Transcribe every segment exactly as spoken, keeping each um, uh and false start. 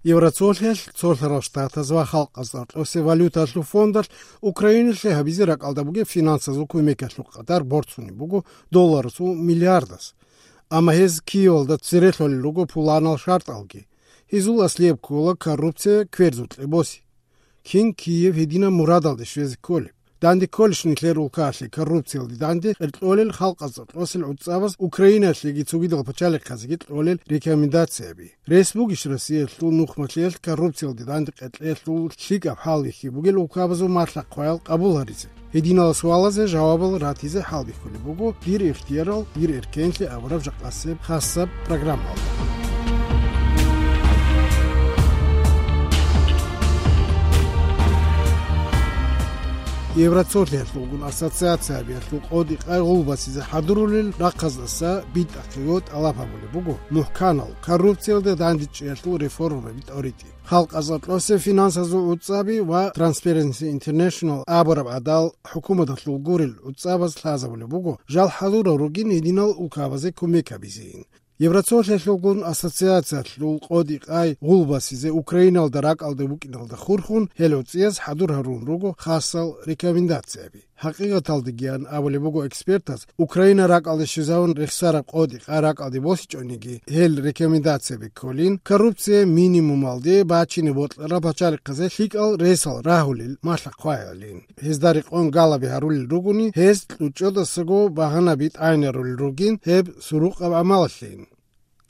Евроцолъиялъ, Цолъарал Штатаз ва Халкъазда Цолъиялъул валюталъул фондалъ Украиналъе гьабизе ракӀалда бугеб финансазул кумекалъул къадар борцунеб буго долларасул миллиардас. Амма гьез Киевалда цере лъолел руго пуланал шартӀалги. Гьезул аслияб ккола коррупция, кверзукьа боси. Кин Киев гьединаб мурадалде щвезе кколеб? Данде кколищ нилъер улкаялъе коррупциялде данде кьолел Халкъазда Цолъиялъул гӀуцӀабаз Украиналъеги цогидал пачалихъазеги кьолел рекомендацияби? Рес бугищ Россиялъул нухмалъиялъ коррупциялде данде кьолелъул лъикӀаб хӀалбихьи бугел улкабазул малъа-хъваял къабул гьаризе? Гьединал суалазе жавабал ратизе хӀалбихьулеб буго дир ихтиярал, дир эркенлъи абураб жакъасеб хасаб программалда. Евроцолъиялъулгун ассоциациябиялъул къотӀи-къай гъулбасизе хӀадурулел рахъаздаса битӀахъего тӀалаб гьабулеб буго мухӀканал коррупциялда дандечӀеялъул реформаби тӀоритӀи. Халкъазда Цолъиялъул финансазул гӀуцӀаби ва Transparency International абураб гӀадал хӀукуматалъул гурел гӀуцӀабаз лъазабулеб буго жал хӀадурал ругин гьединал улкабазе кумек гьабизейин. Евроцолъиялъулгун ассоциациялъул къотӀи-къай гъулбасизе Украиналда ракӀалде букӀиналда хурхун гьел гӀуцӀияз хӀадур гьарун руго хасал рекомендацияби. ХӀакъикъаталдегиян абулеб буго экспертаз, Украина ракӀалде щвезавун рехсараб къотӀи-къай ракӀалде босичӀониги, гьел рекомендацияби кколин, коррупция минимумалде бачине бокьараб пачалихъазе лъикӀал ресал рагьулел малъа-хъваялин. Гьезда рекъон галаби гьарулел ругони, гьез кьучӀдасаго багьанаби тӀагӀинарулел ругин гьеб сурукъаб гӀамалалъейин.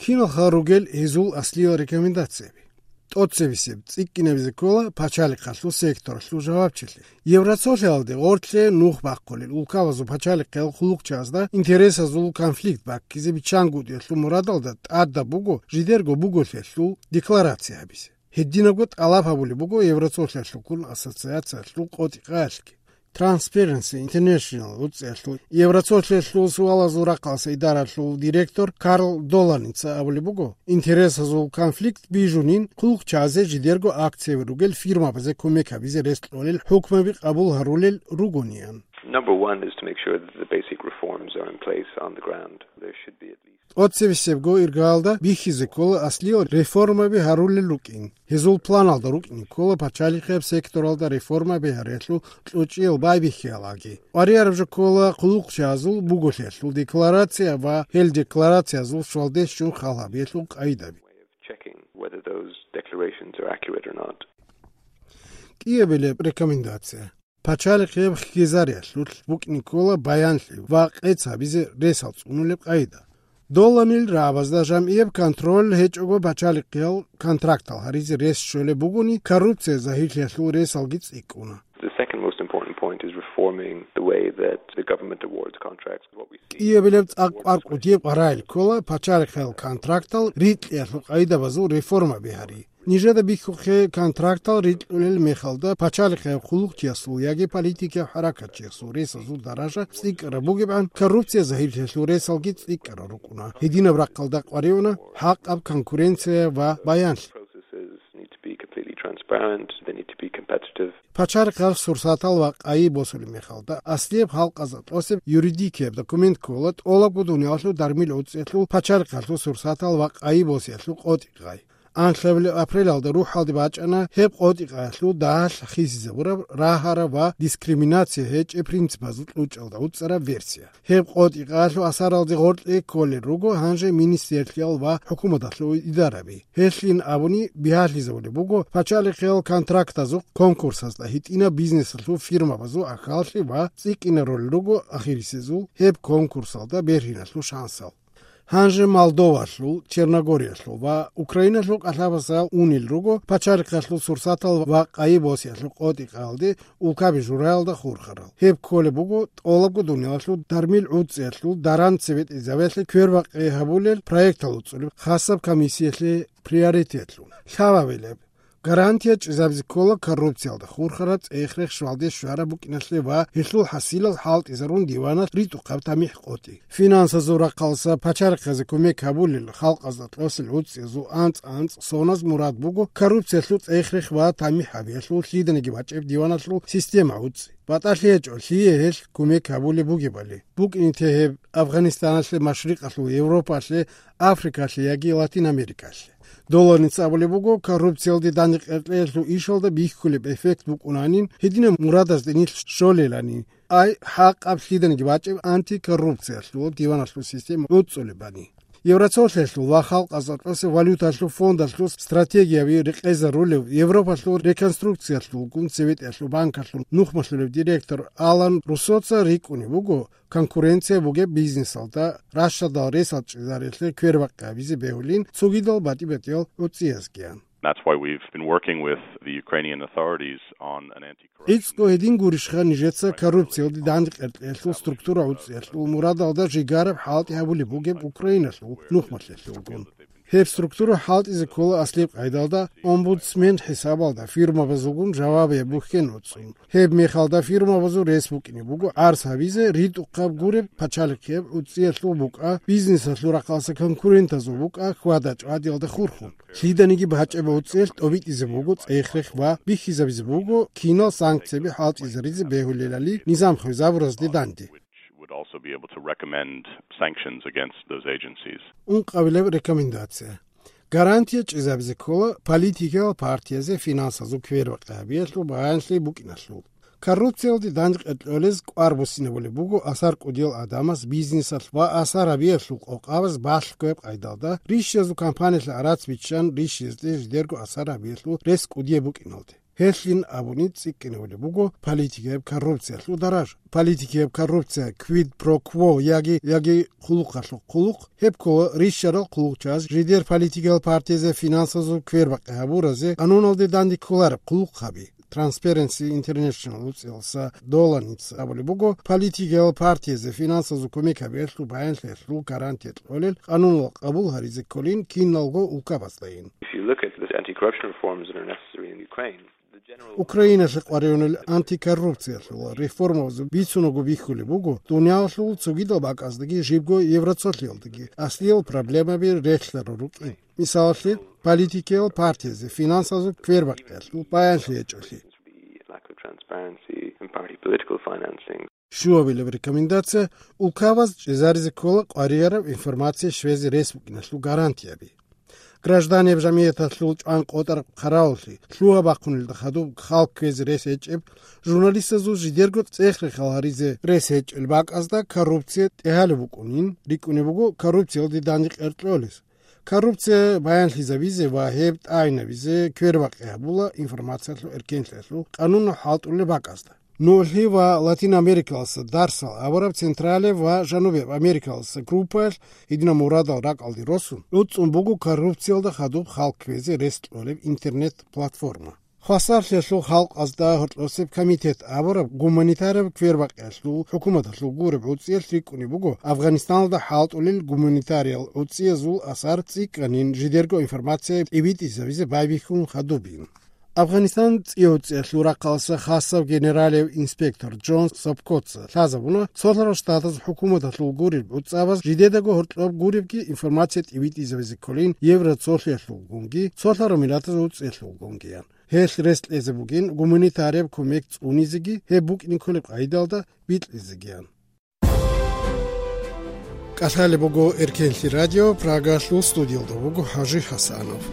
Киналха ругел гьезул аслиял рекомендацияби? ТӀоцебесеб цӀикӀкӀинабизе ккола пачалихъалъул секторалъул жавабчилъи. Евроцолъиялде гъорлъе нух бахъулел улкабазул пачалихъиял хъулухъчазда интересазул конфликт баккизе биччангутӀиялъул мурадалда тӀадаб буго жидерго буголъиялъул декларация гьабизе. Гьединабго тӀалаб гьабулеб буго Евроцолъиялъулгун ассоциациялъул къотӀи-къаялъги. Transparency International гӀуцӀиялъул Евроцолъиялъул суалазул рахъалъа идаралъул директор Карл Доланица абулеб буго, интересазул конфликт бижунин хъулухъчазе жидерго акцияби ругел фирмабазе кумек гьабизе рес кьолел хӀукмаби къабул гьарулел ругониан. Number one is to make sure that the basic reforms are in place on the ground. There should be at least ТӀоцебесебго иргаялда бихьизе ккола аслиял реформаби гьарулел рукӀин. Гьезул планалда рукӀине ккола пачалихъияб секторалда реформаби гьариялъул кьучӀиял байбихьиялги. КӀварияраб жо ккола хъулухъчазул буголъиялъул декларация ва гьел декларациязул щвалде щун хал гьабиялъул къайдаби. Checking whether those declarations are accurate or not. КӀиабилеб рекомендация. Пачалихъияб хьизариялъулъ букӀине ккола баянлъи ва къец гьабизе ресал цӀунулеб къайда. Доланил рагӀабазда жамгӀияб контроль гьечӀого пачалихъиял контрактал гьаризе рес щолеб бугони, коррупция загьирлъиялъул ресалги цӀикӀкӀуна. The second most important point is reforming the way that the government awards contracts. What we see КӀиабилеб цӀакъ кӀваркӀутияб къварагӀел ккола пачалихъиял контрактал рикьиялъул къайдабазул реформаби гьари. Нижеда бихьухъе контрактал рикьулел мехалда пачалихъияб хъулухъчиясул яги политикияб хӀаракатчиясул ресазул даража цӀикӀкӀараб бугебгӀан, коррупция загьирлъиялъул ресалги цӀикӀкӀарал рукӀуна. Гьединаб рахъалда къваригӀуна хӀакъаб конкуренция ва баянлъи. Processes need to be completely transparent, they need to be competitive. Пачалихъал сурсатал ва къайи босулеб мехалда, аслияб халкъазда тӀосеб юридикияб документ ккола тӀолабго дуниялалъул дармил гӀуцӀиялъул пачалихъалъул сурсатал ва къайи босиялъул къотӀи-къай. Анлъабилеб апрелалда рухӀалде бачӀана гьеб къотӀи-къаялъул дагьалъ хисизабураб рагьараб ва дискриминация гьечӀеб принципазул кьучӀалда гӀуцӀараб версия. Гьеб къотӀи-къаялъул асаралде гъоркье кколел руго гьанже министерлъиял ва хӀукуматалъул идараби. Гьелъин абуни, бигьалъизабулеб буго пачалихъиял контрактазухъ конкурсазда гьитӀинаб бизнесалъул фирмабазул ахьаллъи ва цӀикӀкӀинарулел руго ахирисезул гьеб конкурсалда бергьиналъул шансал. Гьанже Молдовалъул, Черногориялъул ва Украиналъул кӀалъабазал унел руго пачалихъалъул сурсатал ва къайи босиялъул къотӀи-къаялде улкаби жураялда хурхарал. Гьеб кколеб буго тӀолабго дуниялалъул дармил гӀуцӀиялъул даран цебетӀезабиялъе квербакъи гьабулел проектал уцӀулеб хасаб комиссиялъе приоритетлъун. Лъабабилеб гарантия чӀезабизе ккола коррупциялда хурхараб цӀех-рех щвалде щвараб букӀиналъе ва гьелъул хӀасилал хӀалтӀизарун диваналъ ритӀухъаб тамихӀ-къотӀи. Финансазул рахъалъа пачалихъазе кумек гьабулел халкъазда тӀосел гӀуцӀиязул анцӀ-анцӀ соназ мурад буго коррупциялъул цӀех-рех ва тамихӀ гьабиялъул лъиданиги бачӀеб диваналъул система гӀуцӀи. БатӀалъи гьечӀо лъие гьелъ кумек гьабулеб бугебали. БукӀине те гьеб Афганистаналъе, Машрикъалъул Европалъе, Африкалъе яги Латин Америкалъе. Доланица абулеб буго, коррупциялде дандекъеркьеялъул ишалда бихьулеб эффект букӀунанин, гьединаб мурадазде нилъ щолелани, ай хӀакъаб лъиданиги бачӀеб антикоррупциялъул диваналъул система гӀуцӀулебани. Евроцолъиялъул ва халкъазда тӀаса валюталъул фондалъул стратегияби рекъезарулев, Европалъул реконструкциялъулгун Советиялъул банкалъул нухмалъулев директор Алан Руссоца рикӀкӀунеб буго, конкуренция бугеб бизнесалда, ращадал ресал чӀезариялъе квербакъи гьабизе бегьулин цогидал батӀи-батӀиял гӀуцӀиязгиян. That's why we've been working with the Ukrainian authorities on an anti-corruption. ГӀицӀго гьедин гурищха нижеца коррупциялде дандекъеркьеялъул структура гӀуцӀиялъул мурадалда жигараб хӀалтӀи гьабулеб бугеб Украиналъул нухмалъиялъулгун. Гьеб структура хӀалтӀизе ккола аслияб къайдалда омбудсмен хӀисабалда фирмабазулгун жавабияб бухьен уцун. Гьеб мехалда фирмабазул рес букӀине буго гӀарз гьабизе ритӀухъаб гуреб пачалихъияб гӀуцӀиялъул букӀа, бизнесалъул рахъалъа конкурентазул букӀа хьвада-чӀвадиялда хурхун. Лъиданиги бачӀеб гӀуцӀиялъ тӀобитӀизе буго цӀех-рех ва бихьизабизе буго кинал санкцияби хӀалтӀизаризе бегьулелали низам хвезабуразде данде. Would also be able to recommend sanctions against those agencies. Ункъабилеб рекомендация. Гарантия чӀезабизе ккола политикиял партиязе финансазул квербакъи гьабиялъул баянлъи букӀиналъул. Коррупциялде дандекъеркьолез кӀвар буссинабулеб буго асар кӀудиял адамас бизнесалъ ва асар гьабиялъул къокъабаз балъгояб къайдалда, рищиязул кампаниялъе гӀарац биччан рищиязде жидерго асар гьабиялъул рес кӀудияб букӀиналде. Гьелъин абуни цӀикӀкӀинабулеб буго политикияб коррупциялъул даража. Политикияб коррупция, quid pro quo яги, яги хъулухъалъул хъулухъ, гьеб ккола рищарал хъулухъчияс жидер политикиял партиязе финансазул квербакъи гьабуразе къануналде данде кколареб хъулухъаби. Transparency International гӀуцӀиялъа доланица абулеб буго, политикиял партиязе финансазул кумек гьабиялъул баянлъиялъул гарантия кьолел къануналъ къабул гьаризе кколин киналго улкабаздайин. If you look at the anti-corruption reforms that are necessary in Ukraine, the general Украиналъе къваригӀунел антикоррупциялъул реформабазул бицунаго бихьулеб буго, дуниялалъул цогидал бакӀаздаги жибго Евроцолъиялдаги аслиял проблемаби релълъарал рукӀин. Мисалалъе, политикиял партиязе финансазул квербакъиялъул баянлъи гьечӀолъи. Lack of transparency in party political financing. Щуабилеб рекомендация: улкабаз чӀезаризе ккола къваригӀараб информация щвезе рес букӀиналъул гарантияби. Гражданиял жамигӀяталъул чӀван къотӀараб хъаравуллъи, лъугьа-бахъунелда хадуб халкъ кквезе рес гьечӀеб, журналистазул жидерго цӀех-рехал гьаризе рес гьечӀел бакӀазда коррупция тӀегьалеб букӀунин, рикӀкӀунеб буго коррупциялде дандекъеркьолез. Коррупция баянлъизабизе ва гьеб тӀагӀинабизе квербакъи гьабула информациялъул эркенлъиялъул къануналъ хӀалтӀулеб бакӀазда. НугӀлъи ва Латин Америкалъа дарсал абураб Централияб ва Жанубияб Америкалъа группаялъ гьединаб мурадал ракӀалде росун, гӀуцӀун буго коррупциялда хадуб халкъ кквезе рес кьолеб интернет-платформа. Хвасарлъиялъул халкъазда гьоркьосеб комитет абураб гуманитарияб квербакъиялъул хӀукуматалъул гуреб гӀуцӀиялъ рикӀкӀунеб буго Афганистаналда хӀалтӀулел гуманитариял гӀуцӀиязул асар цӀикӀкӀанин жидерго информация тӀибитӀизабизе байбихьун хадубин. Афганистан цӀи-гӀуцӀиялъул рахъалъа хасав генералияб инспектор Джон Сапкоца лъазабуна, Цолъарал Штатаз хӀукуматалъул гуреб гӀуцӀабаз жидедаго гьоркьоб гуребги информация тӀибитӀизабизе кколин Евроцолъиялъулгунги, Цолъарал Миллатаз гӀуцӀиялъулгунгиян. Гьелъ рес кьезе бугин гуманитарияб кумек цӀунизеги, гьеб букӀине кколеб къайдалда бикьизегиян. КӀалъалеб буго Эркенлъи радио, Прагалъул студиялда буго ХӀажи ХӀасанов.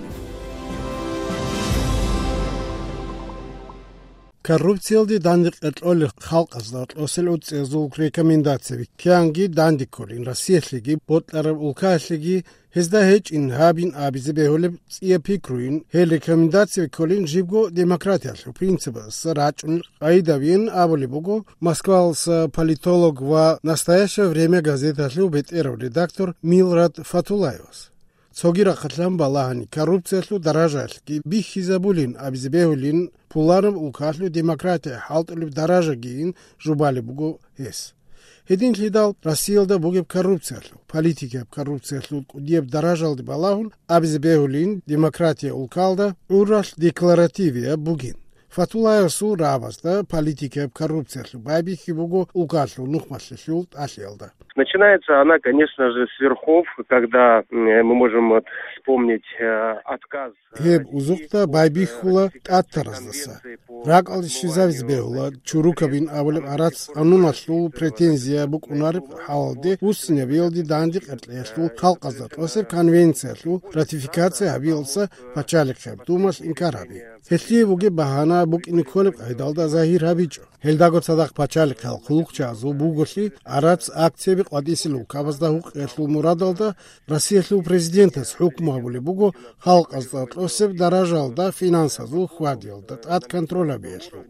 Коррупциялде дандекъеркьолел халкъазда кьосел гӀуцӀиязул рекомендацияби кканги данде кколин Россиялъеги, бокьараб улкаялъеги, гьезда гьечӀин гьабин абизе бегьулеб цӀияб пикруйин, гьел рекомендацияби кколин жибго демократиялъул принципалъа рачӀунел къайдабийин абулеб буго Москвалъа политолог ва «Настоящее время» газеталъул бетӀерав редактор Милрад Фатуллаевас. Цоги рахъалъан балагьани, коррупциялъул даражаялъги бихьизабулин абизе бегьулин, пуланаб улкалъул демократия хӀалтӀулеб даражагийин жубалеб буго гьес. Гьединлъидал Россиялда бугеб коррупциялъул, политикияб коррупциялъул кӀудияб даражалде балагьун абизе бегьулин, демократия улкалда гӀуралъ декларативияб бугин. Фатулаевасул рагӀабазда политикияб коррупциялъул байбихьи буго улкалъул нухмалъилъул тӀалъиялда. Начинается она, конечно же, с верхов, когда, м, мы можем вот вспомнить, э, отказ, э, Гьеб узухъда байбихьула тӀатараздаса. РакӀалде щвезавизе бегьула чурукабин абулеб гӀарац къануналъул претензия букӀунареб хӀалалде, буссинабиялде дандекъеркьеялъул халкъазда тӀасеб конвенциялъул ратификация гьабиялдаса пачалихъеб думалъ инкар гьаби. Гьелъие бугеб багьана букӀине кколеб къайдалда загьир гьабичӀо. Гьелдаго цадахъ пачалихъал хъулухъчагӀазул буголъи гӀарац акцияби къватӀисел улкабазда гьукъиялъул мурадалда Россиялъул президентас хӀукму гьабулеб буго халкъазда тӀасеб даражаялда финансазул хьвадиялда тӀад контроль гьабиялъул.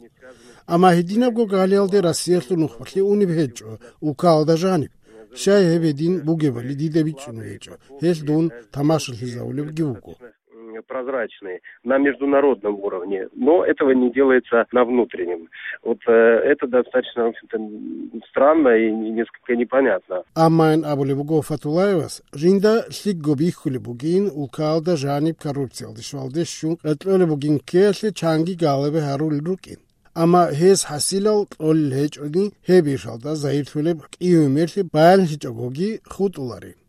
Амма гьединабго галиялде Россиялъул нухмалъи унеб гьечӀо улкалда жаниб. Щай гьеб гьедин бугебали дида бичӀчӀун гьечӀо, гьелъ дун тамашалъизавулебги вуго. М, прозрачные на международном уровне, но этого не делается на внутреннем. Вот, э, это достаточно, в общем-то, м, странно и не-, несколько непонятно. Амма ин абулеб буго Фатулаевас, жинда лъикӀго бихьулеб бугин, улкалда жаниб коррупциялде щвалде щун къеркьолеб бугин ккеялъе чанги гьалабе гьарулел рукӀин. Амма гьес хӀасилал кьолел гьечӀони, гьеб ишалда загьирлъулеб кӀиго мерлъи баянлъичӀогоги хутӀуларин.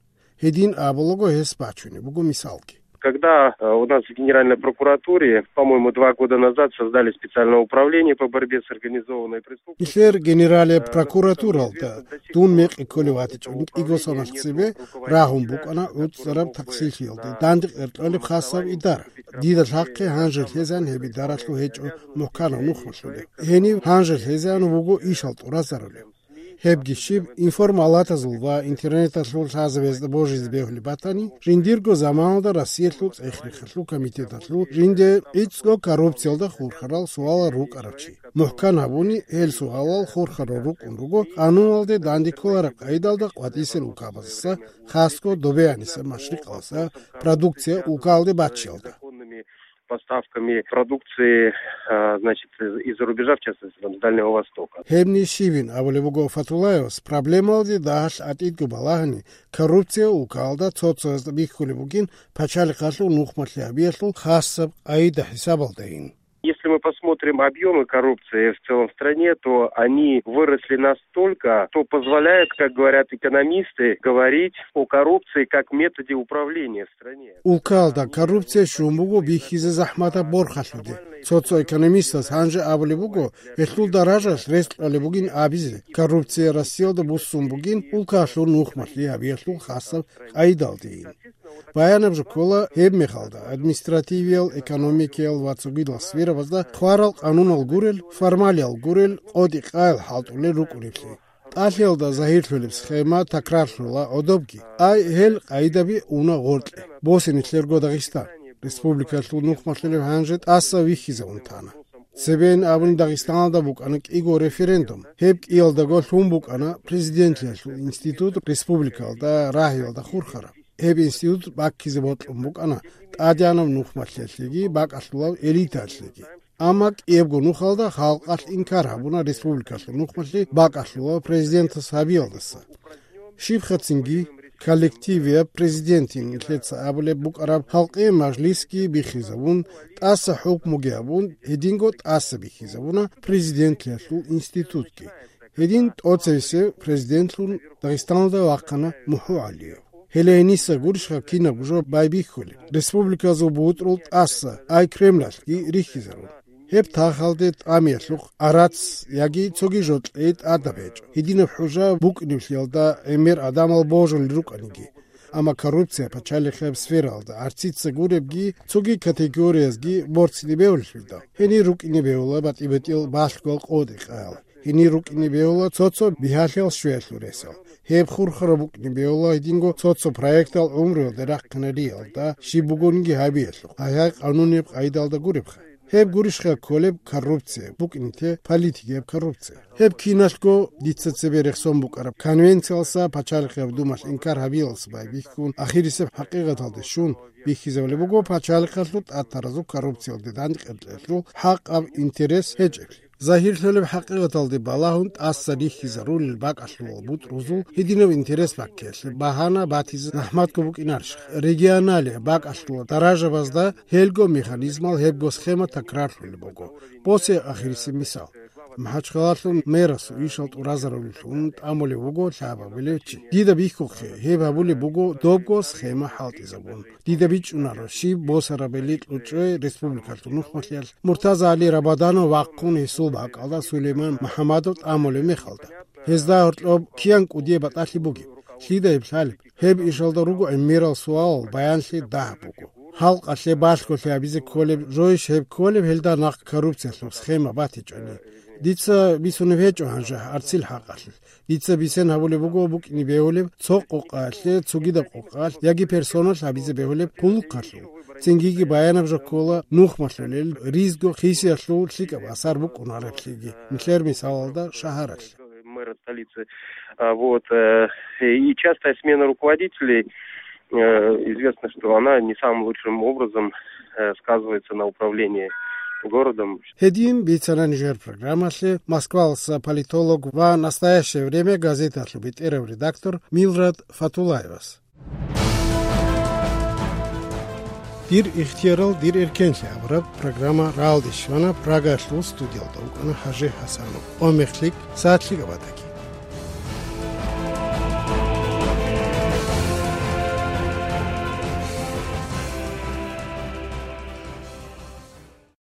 Гьедин абулаго гьес бачунеб буго мисалги. Когда, э, у нас в Генеральной прокуратуре, по-моему, два года назад создали специальное управление по борьбе с организованной преступностью. Нилъер генералияб прокуратуралда дун мекъи кколев ватичӀони кӀиго соналъ цебе рагьун букӀана гӀуцӀараб таксилъиялде данде къеркьолеб хасаб идара. Дида лъахъе гьанже лъезан гьеб идаралъул гьечӀо мухӀканав нухмалъулеб. Гьенив гьанже лъезан вуго ишал тӀуразарулев. Гьебги щиб, информалатазул ва интернеталъул лъазабазда божизе бегьулеб батани, жиндирго заманалда Россиялъул цӀех-рехалъул комитеталъул жинде гӀицӀго коррупциялда хурхарал суалал рукӀарав чи. МухӀкан гьабуни, гьел суалал хурхарал рукӀун руго къануналде данде кколараб къайдалда къватӀисел улкабаздаса, хасго Добеяниса машрикъалдаса продукция улкалде баччиялда. Поставками продукции, а, значит, из, из-за рубежа, в частности, там, с Дальнего Востока. Гьебни щибин абулеб буго Фатулаевас, проблемалде дагьалъ гӀатӀидго балагьани, коррупция улкалда цо-цоясда бихьулеб бугин пачалихъалъул нухмалъи гьабиялъул хасаб къайда-хӀисабалдайин. Если мы посмотрим объемы коррупции в целом в стране, то они выросли настолько, что позволяют, как говорят экономисты, говорить о коррупции как методе управления в стране. Улкалда коррупция щун буго бихьизе захӀматаб борхалъуде. Цо-цо экономистас гьанже абулеб буго, гьелъул даражалъ рес кьолеб бугин абизе, коррупция Россиялда буссун бугин улкалъул нухмалъи гьабиялъул хасаб къайдалдейин. Баянаб жо ккола, гьеб мехалда административиял, экономикиял ва цогидал сферабазда хварал къанунал гурел, формалиял гурел, къотӀи-къаял хӀалтӀулел рукӀунеблъи. ТӀалъиялда загьирлъулеб схема такрарлъула гӀодобги. Ай, гьел къайдаби уна гъоркье. Босе нилъерго Дагъистан. Республикалъул нухмалъулеб гьанже тӀаса вихьизавун тана. Цебейин абуни Дагъистаналда букӀана кӀиго референдум. Гьеб кӀиялдаго лъун букӀана президентлъиялъул институт республикалда рагьиялда хурхараб. Гьеб институт баккизе бокьун букӀана тӀадегӀанаб нухмалъиялъеги бакӀалъулаб элитаялъеги. Амма кӀиябго нухалда халкъалъ инкар гьабуна республикалъул нухмалъи бакӀалъулаб президентас гьабиялдаса. Щибхъацинги, коллективияб президентин нилъеца абулеб букӀараб халкъи мажлисги биххизабун, тӀаса хӀукмуги гьабун, гьединго тӀаса биххизабуна президентлъиялъул институтги. Гьедин тӀоцевесев президентлъун Дагъистаналда вахъана МухӀу ГӀалиев. Гьеле гьениса гурищха кинабго жо байбихьулеб, республиказул бутӀрул тӀаса, ай Кремлалъги рихьизарун. Гьеб тахалде тӀамиялъухъ гӀарац яги цоги жо кьей тӀадаб гьечӀо, гьединаб хӀужа букӀинеблъиялда гӀемер гӀадамал божулел рукӀаниги. Амма коррупция пачалихъеб сфералда гӀарцица гуребги, цоги категориязги борцине бегьулелъидал, гьенир рукӀине бегьула батӀи-батӀиял балъгоял къотӀи-къаял. Гьенир рукӀине бегьула цо-цо бигьалъиял щвеялъул ресал. Гьеб хурхараб букӀине бегьула гьединго цо-цо проектал гӀумруялде рахъинариялда щиб бугониги гьабиялъухъ, гьай-гьай къанунияб къайдалда гуребха. Гьеб гурищха кколеб коррупция, букӀине те политикияб коррупция. Гьеб киналъго дица цебе рехсон букӀараб конвенциялса, пачалихъияб думалъ инкар гьабиялса байбихьун, ахирисеб хӀакъикъаталде щун, бихьизабулеб буго пачалихъалъул тӀатаразул коррупциялде дандекъеркьелъул хӀакъаб интерес гьечӀеблъи. Загьирлъулеб хӀакъикъаталде балагьун тӀаса рихьизарулел бакӀалъулал бутӀрузул гьединаб интерес баккиялъе багьана батизе захӀматго букӀинарищ? Регионалияб бакӀалъулал даражабазда гьелго механизмал гьебго схема такрарлъулеб буго. Босе ахирисеб мисал. МахӀачхъалалъул мэрасул ишал тӀуразарулелъун тӀамулев вуго лъабабилев чи. Дида бихьухъе, гьеб гьабулеб буго добго схема хӀалтӀизабун. Дида бичӀчӀунаро, щиб босарабали кьучӀой республикалъул нухмалъиялъ Муртаза ГӀали Рабаданов вахъун гьесул бакӀалда Сулейман МухӀамадов тӀамулеб мехалда. Гьезда гьоркьоб киян кӀудияб батӀалъи бугеб? Лъида гьеб лъалеб? Гьеб ишалда руго гӀемерал суалал баянлъи дагьаб буго. Халкъалъе балъголъи гьабизе кколеб, жойищ гьеб кколеб гьелда нахъ коррупциялъул схема батичӀони? Дица бицунеб гьечӀо гьанже гьарцил хӀакъалъулъ. Дица бицен гьабулеб буго букӀине бегьулеб цо къокъаялъе цогидаб къокъаялъ яги персоналъ гьабизе бегьулеб хъулухъалъул. Цингиги баянаб жо ккола нухмалъулел ризго хисиялъул лъикӀаб асар букӀунареблъиги, нилъер мисалалда шагьаралъ. Мэра столицы. А, вот, э, и частая смена руководителей, э, известно, что она не самым лучшим образом, э, сказывается на управлении городом. Гьедин бицана нижер программалъе Москваласа политолог ва «Настоящее время» газеталъул бетӀерав редактор Милрад Фатулаевас. «Дир ихтиярал, дир эркенлъи» абураб программа рагӀалде щвана, Прагаялъул студиялда вукӀана ХӀажи ХӀасанов. Омехлъик, сагӀатлъи габатаги.